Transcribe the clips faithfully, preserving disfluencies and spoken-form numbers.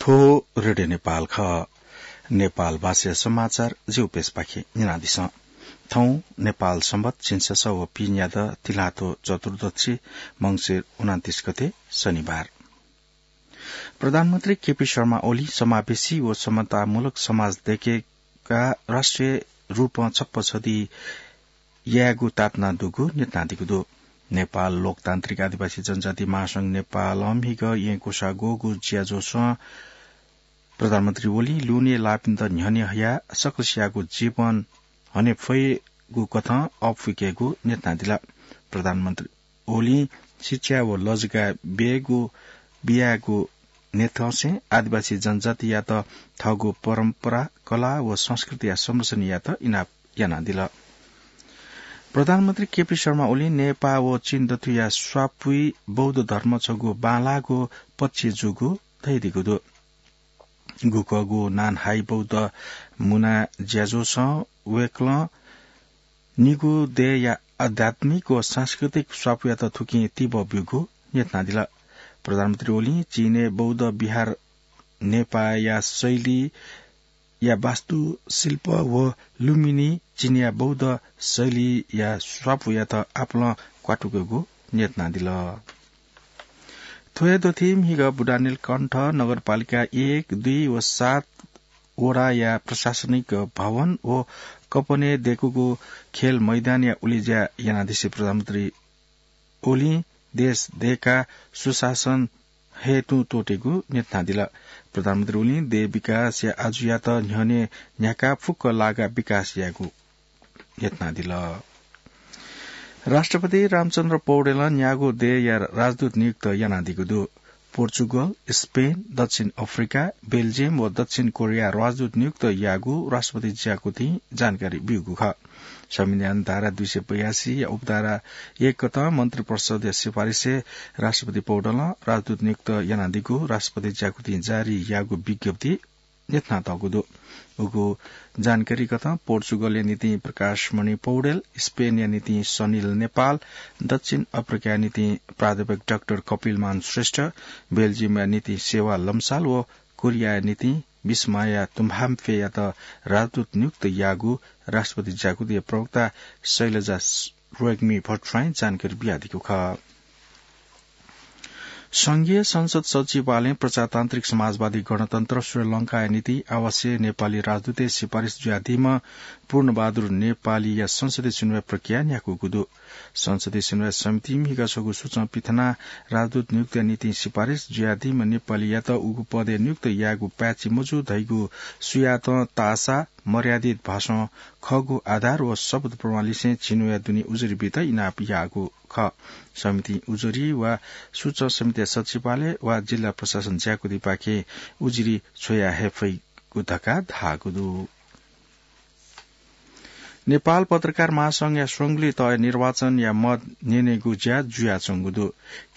ओ रेडियो नेपाल खः। नेपाल भाषा समाचार जिगु पेजपाखे न्यनादिसँ। थौं नेपाल संवत झिंछसः व पीन्यादँ तिलातो चतुर्दशी मंसिर उनन्तीस गते शनिबार। प्रधानमन्त्री केपी शर्मा ओली समावेशी व समतामूलक समाज दयेकेका राष्ट्रिय रूपं छप्पँ छधी यायेगु ताःतना दुगु न्यनादीगु दु। नेपाल लोकतान्त्रिक आदिवासी जनजाति महासंघ नेपालं म्हिगः येँ क्वसाः ग्वःगु ज्याझ्वलय् प्रधानमन्त्री ओलीं लुने लाःपिन्त न्ह्यःने हयाः सकसियागु जीवन हने फयेगु कथं अःपुकेगु न्यनादिल। प्रधानमन्त्री ओलीं शिक्षा व लजगाः बियागु, बियागु न्ह्यथंसें आदिवासी जनजातियात थःगु परम्परा, कला व संस्कृतिया संरक्षण यायेत इनाप यानादिल। प्रधानमन्त्री केपी शर्मा ओलीं नेपाः व चीन दथुया स्वापुइ बौद्ध धर्म छगू बांलाःगु पक्ष जूगु धयादीगु दु। गुकःगु नानहाइ बौद्ध मुना ज्याझ्वलय् वय्कलं निगू देय्‌या आध्यात्मिक व सांस्कृतिक स्वापुयात थुकिं तिबः ब्यूगु न्यनादिल। प्रधानमन्त्री ओलीं चीनय् बौद्ध विहार नेपाःया शैलीया वास्तुशिल्प व लुम्बिनी चीनया बौद्ध शैलीया स्वापुयात आपालं क्वातुकेगु न्यनादिल। थ्व हे दथुइ म्हिगः बुढानीलकण्ठ नगरपालिका एक, दुई व सात वडाया प्रशासनिक भवन व कपनय् दयेकूगु खेल मैदानया उलेज्या यानादिसें प्रधानमन्त्री ओलीं देश दयेकाः सुशासन हे तुं त्वःतेगु न्यनादिल। प्रधानमन्त्री ओलीं देय् विकासया आजुयात न्ह्यःने न्ह्याकाः फुक्क लागाः विकास यायेगु न्यनादिल। राष्ट्रपति रामचन्द्र पौडेलं न्यागू देय्‌या राजदूत नियुक्त यानादीगु दु। पोर्चुगल, स्पेन, दक्षिण अफ्रिका, बेल्जियम व दक्षिण कोरिया राजदूत नियुक्त याःगु राष्ट्रपति ज्याकुथिं जानकारी ब्यूगु खः। संविधान धारा दुई सय बयासी या उपधारा एक कथं मन्त्री परिषदया सिफारिसय् राष्ट्रपति पौडेलं राजदूत नियुक्त यानादीगु राष्ट्रपति ज्याकुथिं जारी याःगु विज्ञप्ति न्यनातःगु दु। उगु जानकारी कथं पोर्चुगलया निंतिं प्रकाशमणि पौडेल, स्पेनया निंतिं सनिल नेपाल, दक्षिण अफ्रिकाया निंतिं प्राध्यापक डाक्टर कपिलमान श्रेष्ठ, बेल्जियमया निंतिं सेवा लम्साल व कोरियाया निंतिं बिस्माया तुम्हाम्फेयात राजदूत नियुक्त याःगु राष्ट्रपति ज्याकुथिया प्रवक्ता शैलजा रोग्मी भट्टराईं जानकारी बियादीगु खः। संघीय संसद सचिवालयं प्रजातान्त्रिक समाजवादी गणतन्त्र श्रीलंकाया निंतिं आवासीय नेपाली राजदूतय् सिफारिस जुयादीम्ह पूर्णबहादुर नेपालीया संसदीय सुनुवाइ प्रक्रिया न्ह्याकूगु दु। संसदीय सुनुवाइ समितिं म्हिगः छगू सूचं पिथनाः राजदूत नियुक्तिया निंतिं सिफारिस जुयादीम्ह नेपालीयात उगु पदय् नियुक्त यायेगु पाय्‌छि मजू धइगु सुयातं ताःसा मर्यादित भाषां खःगु आधार व शपथ प्रमाणलिसें झिंन्हूया दुने उजुरी बीत इनाप याःगु खः। समितिं उजुरी वा सूचं समितिया सचिवालय वा जिल्ला प्रशासन ज्याकुथिपाखें उजुरी छ्वया हये फइगु धकाः धाःगु दु। नेपाल पत्रकार महासंघया स्वंगुलिं तःया निर्वाचनया मत न्यनेगु ज्या जुयाच्वंगु दु।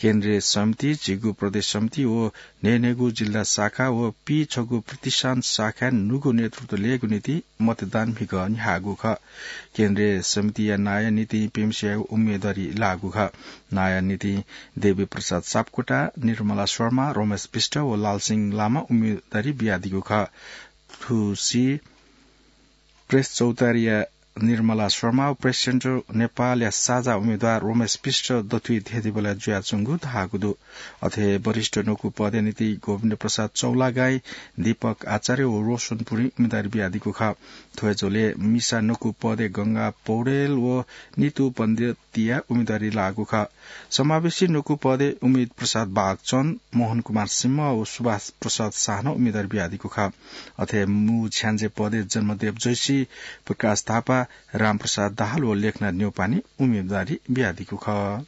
केन्द्रीय समिति, झिगू प्रदेश समिति व न्हय्‌न्हय्‌गू जिल्ला शाखा व पीछगू प्रतिष्ठान शाखाय् न्हूगु नेतृत्व लयेगु निंतिं मतदान म्हिगः न्ह्याःगु खः। केन्द्रीय समितिया नांया निंतिं प्यम्हसिया उम्मेदवारी लाःगु खः। नांया निंतिं देवी प्रसाद सापकोटा, निर्मला शर्मा, रमेश विष्ट व लालसिंह लामा उम्मेदवारी बियादीगु खः। थुसी प्रेस चौतारीया निर्मला शर्मा व प्रेस सेन्टर नेपालया साझा उम्मेदवार रमेश विष्ट दथुइ धेंधेंबलय् जुयाच्वंगु धाःगु दु। अथे हे वरिष्ठ न्वकू पदया निंतिं गोविन्द प्रसाद चौलागाई, दीपक आचार्य व रोशन पुरीं उम्मेदवारी बियादीगु खः। थ्व हे झ्वलय् मिसा न्वकू पदय् गंगा पौडेल व नितु पण्डितया उम्मेदवारी लाःगु खः। समावेशी न्वकू पदय् उमेद प्रसाद बागचन, मोहन कुमार सिंह व सुभाष प्रसाद शाह नं उम्मेदवारी बियादीगु खः। अथे हे मू छ्याञ्जे पदय् जन्मदेव जैसी, प्रकाश थापा, रामप्रसाद दाहाल व लेखनाथ न्यौपाने उम्मेदवारी बियादीगु खः।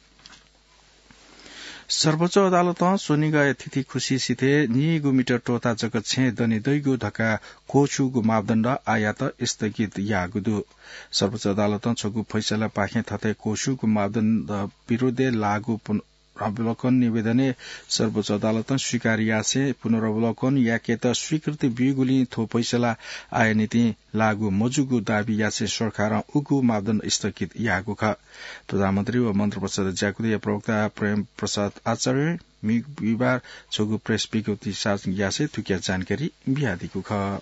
सर्वोच्च अदालतं स्वनिगःया थितिखुसी सिथय् नीगू मिटर त्वःता जक छेँ दने दइगु धकाः क्वछुगु मापदण्ड आःयात स्थगित याःगु दु। सर्वोच्च अदालतं छगू फैसलापाखें थथे क्वछुगु मापदण्ड विरुद्धय् लाःगु पुन-, अवलोकन निवेदनय् सर्वोच्च अदालतं स्वीकार यासें पुनरवलोकन याकेत स्वीकृति ब्यूगुलिं थ्व फैसला आःया निंतिं लागू मजूगु दाबी यासें सरकारं उगु मापदण्ड स्थगित याःगु खः। प्रधानमन्त्री व मन्त्रिपरिषद ज्याकुथिया प्रवक्ता प्रेम प्रसाद आचार्यं बिहिबार छगू प्रेस विज्ञप्ति सार्वजनिक यासें थुकिया जानकारी बियादीगु खः।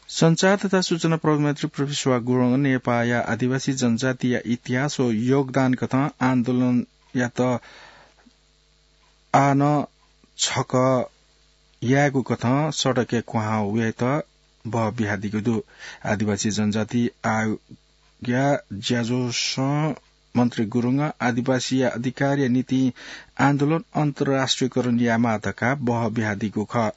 सञ्चार तथा सूचना प्रविधि मन्त्री प्रविश्वा गुरुङं नेपाःया आदिवासी जनजातिया इतिहास व योगदान कथं आन्दोलनयात आः नं छकः यायेगु कथं सडकय् क्वहां वयेत बह बियादीगु दु। आदिवासी जनजाति आयोगया ज्याझ्वलय् मन्त्री गुरुङं आदिवासीया अधिकारया निंतिं आन्दोलन अन्तर्राष्ट्रियकरण यायेमाः धकाः बह बियादीगु खः।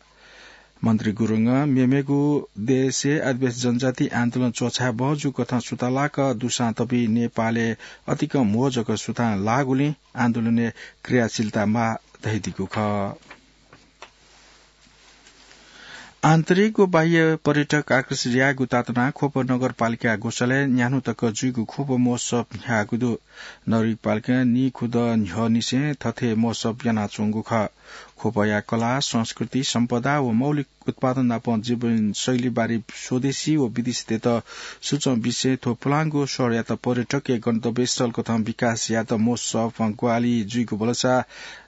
मन्त्री गुरुङं मेमेगु देशय् आदिवासी जनजाति आन्दोलन च्वछाये बहःजू कथं सुथांलाक दुसां तबि नेपालय् अतिकं म्हो जक सुथां लाःगुलिं आन्दोलनय् क्रियाशीलता माः धयादीगु खः। आन्तरिक व बाह्य पर्यटक आकर्षित यायेगु तातुनाः ख्वप नगरपालिका ग्वसालय् न्यान्हु तक जुइगु ख्वप महोत्सव न्ह्याःगु दु। नगरपालिकां नीखुदँ न्ह्यःनिसें थथे महोत्सव यानाच्वंगु खः। ख्वपया कला, संस्कृति, सम्पदा व मौलिक उत्पादन नापं जीवनशैली बारे स्वदेशी व विदेशीतय्त सूचं बिसें थ्व पुलांगु शहरयात पर्यटकीय गन्तव्यस्थल कथं विकास यायेत महोत्सवं ग्वाहालि जुइगु भलसा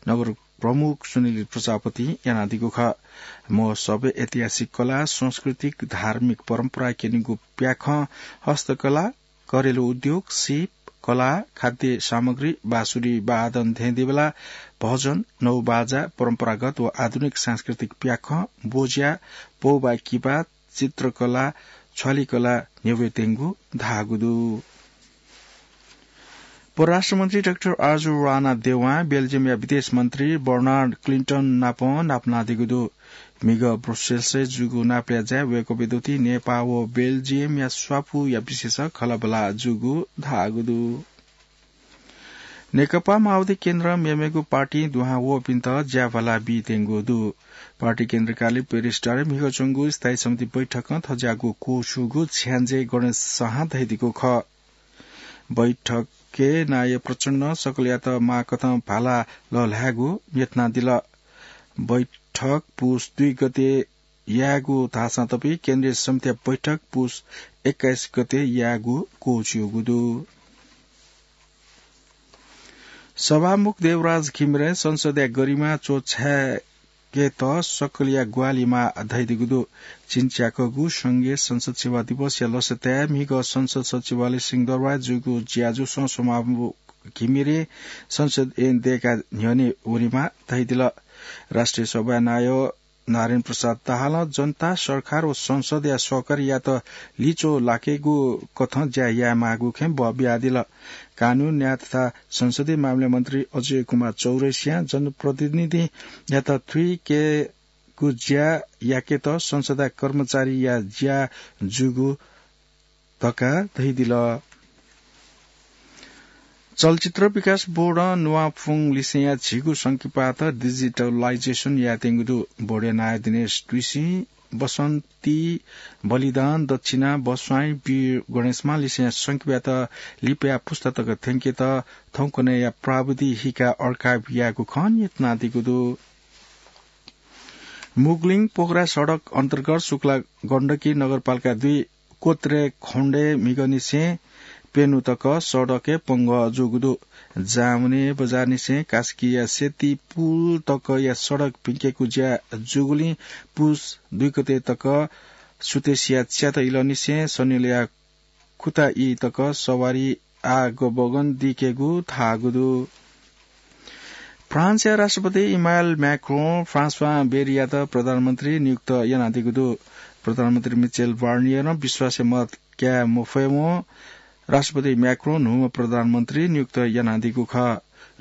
नगर प्रमुख सुनिल प्रजापतिं यानादीगु खः। महोत्सवय् ऐतिहासिक कला, सांस्कृतिक, धार्मिक परम्परा क्यनेगु प्याखं, हस्तकला, घरेलु उद्योग, सीप, कला, खाद्य सामग्री, बाँसुरी वादन थें देबेला, भजन, नौबाजा, परम्परागत व आधुनिक सांस्कृतिक प्याखं, बोज्या, पौबा किपा, चित्रकला, छ्वालिकला न्ह्यब्वये त्यंगु धाःगु दु। परराष्ट्र मन्त्री डाक्टर आर्जु राणा देवां बेल्जियमया विदेश मन्त्री बर्नार्ड क्लिन्टन नाप नापलानादीगु दु। म्हिगः ब्रुसेल्सय् जूगु नापलाये ज्याय् वय्कःपिं दथुइ नेपाः व बेल्जियमया स्वापूया विशेष खँल्हाबल्हा जूगु धाःगु दु। नेकपा माओवादी केन्द्रं मेमेगु पार्टीं दुहां वःपिन्त ज्याभाला बीत्यंगु दु। पार्टी केन्द्र कार्यालय पेरिस डाँडाय् म्हिगः च्वंगु स्थायी समिति बैठकं थज्याःगु क्वःछिउगु छ्याञ्जे गणेश शाहं धयादीगु खः। बैठकय् नायः प्रचण्डं सकलयात माःकथं भाला लःल्हायेगु न्ह्यथनादिल। बैठक पुस दुई गते यायेगु धाःसां तबि केन्द्रीय समितिया बैठक पुस एक्काइस गते यायेगु क्वःछिउगु दु। सभामुख देवराज घिमिरें संसदया गरिमा च्वछायेकेत सकलया ग्वाहालि माः धयादीगु दु। झिंच्याकःगु संघीय संसद सेवा दिवसया लसताय् म्हिगः संसद सचिवालय सिंहदरबारय् जूगु ज्याझ्वलय् सभामुख घिमिरें संसद ऐन दयेका न्ह्यःने वनेमाः धयादिल। राष्ट्रिय सभाया नायः नारायण प्रसाद दाहालं जनता, सरकार व संसदया सहकार्ययात लिच्वः लाकेगु कथं ज्या यायेमाःगु खँय् बः बियादिल। कानून, न्याय तथा संसदीय मामिला मन्त्री अजय कुमार चौरसियां जनप्रतिनिधियात थुइकेगु ज्या याकेत संसदया कर्मचारीया ज्या जूगु धकाः धयादिल। चलचित्र विकास बोर्डं नुवाफुङ लिसेंया झिगू संकिपात digitalization यायेत्यंगु दु। बोर्डया नायः दिनेश तुइसिं बसन्ती, बलिदान, दक्षिणा, बस्वाँइ, वीर गणेशमां लिसेंया संकिपात लिपाया पुस्ता तक थ्यंकेत थौंकन्हय्‌या प्राविधि हिका archive यायेगु खँ न्ह्यथनादीगु दु। मुगलिङ पोखरा सडक अन्तर्गत शुक्ला गण्डकी नगरपालिका दुई कोत्रे खण्डय् म्हिगःनिसें प्यन्हु तक सडकय् पंगः जूगु दु। जावने बजारनिसें कास्कीया सेती पुल तकया सडक भिंकेगु ज्या जूगुलिं पुस दुई गते तक सुतेसिया च्याता इलंनिसें सनिलया खुता ई तक सवारी आगमन दीकेगु धाःगु दु। फ्रान्सया राष्ट्रपति इमानुएल म्याक्रों फ्रान्सवा बेरीयात प्रधानमन्त्री नियुक्त यानादीगु दु। प्रधानमन्त्री मिचेल बार्नियरं विश्वासया मत काये मफयेवं राष्ट्रपति म्याक्रों न्हूम्ह प्रधानमन्त्री नियुक्त यानादीगु खः।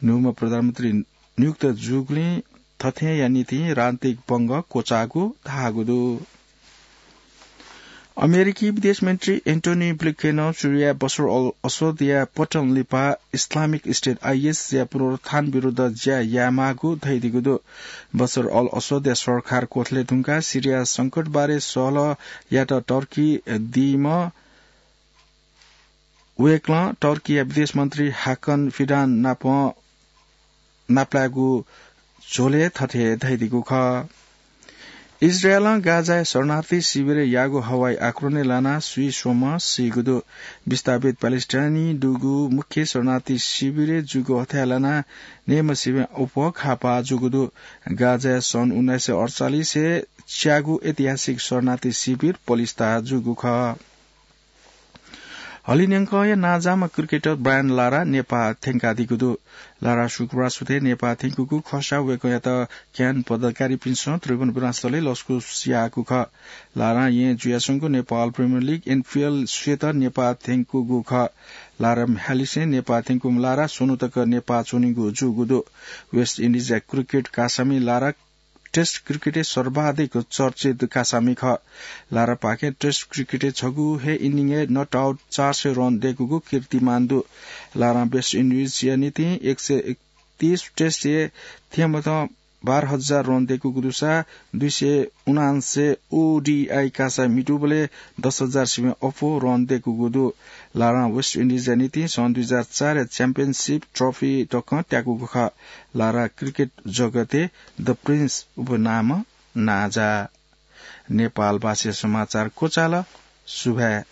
न्हूम्ह प्रधानमन्त्री नियुक्त जूगुलिं थथेंया निंतिं राजनीतिक पंगः क्वचाःगु धाःगु दु। अमेरिकी विदेश मन्त्री एन्टोनी ब्लिंकेनं सिरियाय् बसर अल असदया पतन लिपा इस्लामिक स्टेट आइएसया पुनरुत्थान विरुद्ध ज्या यायेमाःगु धयादीगु दु। बसर अल असदया सरकार क्वथले धुंकाः सिरिया संकटबारे सहलह यायेत टर्की दीम्ह वय्कलं टर्कीया विदेश मन्त्री हाकन फिडान नाप नापलायेगु झ्वलय् थथे धयादीगु खः। इजरायलं गाजाय् शरणार्थी शिविरय् याःगु हवाई आक्रमणय् लानाः स्वीस्वम्ह सीगु दु। विस्थापित प्यालेस्टाइनी दुगु मुख्य शरणार्थी शिविरय् जूगु हथाय् लानाः नेमसिबें अप्वः खापा जूगु दु। गाजाय् सन् उन्नाइस सय अडचालिसय् च्यागू ऐतिहासिक शरणार्थी शिविर पलिस्था जूगु खः। हलिंन्यंकया नांजाःम्ह क्रिकेटर ब्रायन लारा नेपाः थ्यंकादीगु दु। लारा शुक्रबार सुथय् नेपाः थ्यंकूगु खःसा वय्कःयात ज्ञान पदाधिकारीपिन्सं त्रिभुवन विमानस्थलय् लसकुस याःगु खः। लारां येँ जुयाच्वंगु नेपाल प्रिमियर लिग एनपिएल स्वयेत नेपाः थ्यंकूगु खः। लारा म्ह्याय्‌लिसें नेपाः थ्यंकूम्ह लारा स्वन्हु तक नेपाः च्वनीगु जूगु दु। वेस्ट इन्डिजया क्रिकेट कासामि लारा टेस्ट क्रिकेटय् सर्वाधिक चर्चित कासामि खः। लारापाखें टेस्ट क्रिकेटय् छगू हे इनिङय् नट आउट चार सय रन दय्कूगु कीर्तिमान दु। लारां वेस्ट इन्डिजया निंतिं एक सय एकतीस टेस्टय् थ्यंमथं बाह्र हजार रन दय्कूगु दुसा दुई सय उनान्सय ओडिआई कासा म्हितूबलय् दस हजार सिबें अप्वः रन दय्कूगु दु। लारां वेस्ट इन्डिजया निंतिं सन् दुई हजार चारया च्याम्पियनसिप ट्रफी तकं त्याकूगु खः। लारा क्रिकेट जगतय् द प्रिन्स उपनामं नांजाः। नेपाल भाषाया समाचार क्वचाल। सुभाय्।